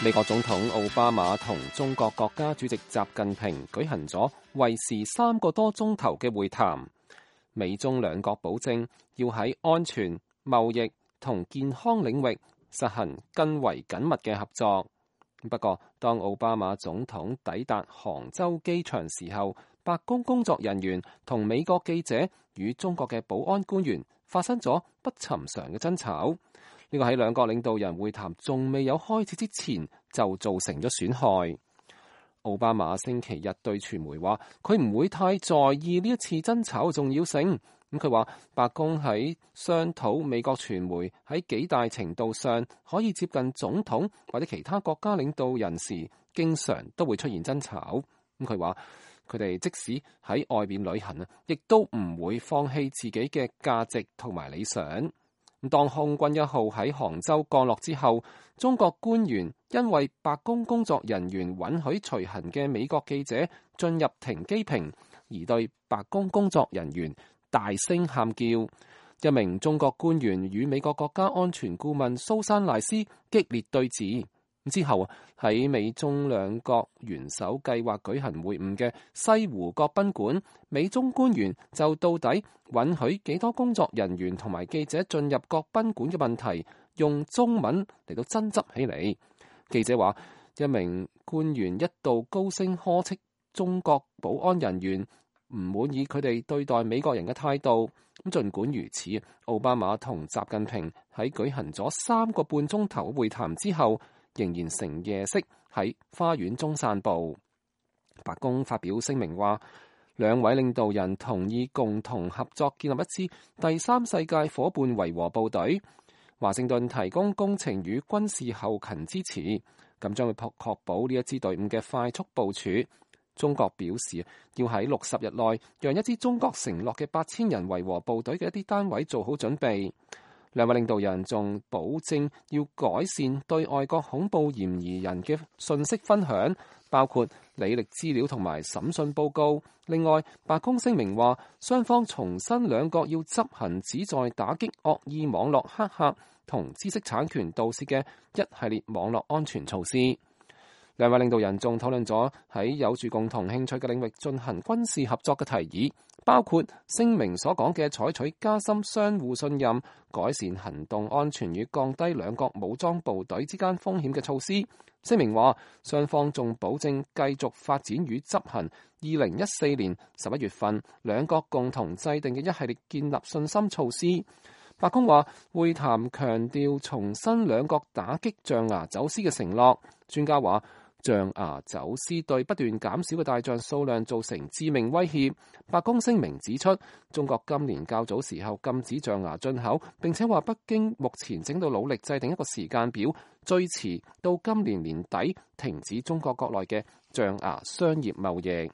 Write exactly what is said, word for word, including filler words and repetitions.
美國總統奧巴馬同中國國家主席習近平舉行咗為時三個多鐘頭嘅會談，美中兩國保證要喺安全、貿易同健康領域實行更為緊密嘅合作。不過，當奧巴馬總統抵達杭州機場時候，白宮工作人員同美國記者與中國嘅保安官員發生咗不尋常嘅爭吵。呢個喺兩國領導人會談仲未有開始之前就造成咗損害。奧巴馬星期日對傳媒話，佢唔會太在意呢一次爭吵嘅重要性。咁佢話，白宮喺商討美國傳媒喺幾大程度上可以接近總統或者其他國家領導人時，經常都會出現爭吵。咁佢話，佢哋即使喺外邊旅行啊，亦都唔會放棄自己嘅價值同埋理想。當空軍一號喺杭州降落之後，中國官員因為白宮工作人員允許隨行嘅美國記者進入停機坪，而對白宮工作人員大聲喊叫。一名中國官員與美國國家安全顧問蘇珊賴斯激烈對峙。之後喺美中兩國元首計劃舉行會晤嘅西湖國賓館，美中官員就到底允許幾多工作人員同埋記者進入國賓館嘅問題，用中文嚟到爭執起嚟。記者話，一名官員一度高聲呵斥中國保安人員唔滿意佢哋對待美國人嘅態度。咁儘管如此，奧巴馬同習近平喺舉行咗三個半鐘頭會談之後，仍然乘夜式喺花園中散步。白宮發表聲明話，兩位領導人同意共同合作建立一支第三世界夥伴維和部隊，華盛頓提供工程與軍事後勤支持，咁將會確保呢一支隊伍嘅快速部署。中國表示要喺六十日內讓一支中國承諾嘅八千人維和部隊嘅一啲單位做好準備。兩位領導人仲保證要改善對外國恐怖嫌疑人嘅信息分享，包括履歷資料同埋審訊報告。另外，白宮聲明話，雙方重申兩國要執行旨在打擊惡意網絡黑客同知識產權盜竊嘅一系列網絡安全措施。兩位領導人仲討論咗喺有住共同興趣嘅領域進行軍事合作嘅提議，包括聲明所講嘅採取加深相互信任、改善行動安全與降低兩國武裝部隊之間風險嘅措施。聲明話，雙方仲保證繼續發展與執行二零一四年十一月份兩國共同制定嘅一系列建立信心措施。白宮話，會談強調重申兩國打擊象牙走私嘅承諾。專家話，象牙走私對不斷減少嘅大象數量造成致命威脅。白宮聲明指出，中國今年較早時候禁止象牙進口，並且話北京目前正到努力制定一個時間表，最遲到今年年底停止中國國內嘅象牙商業貿易。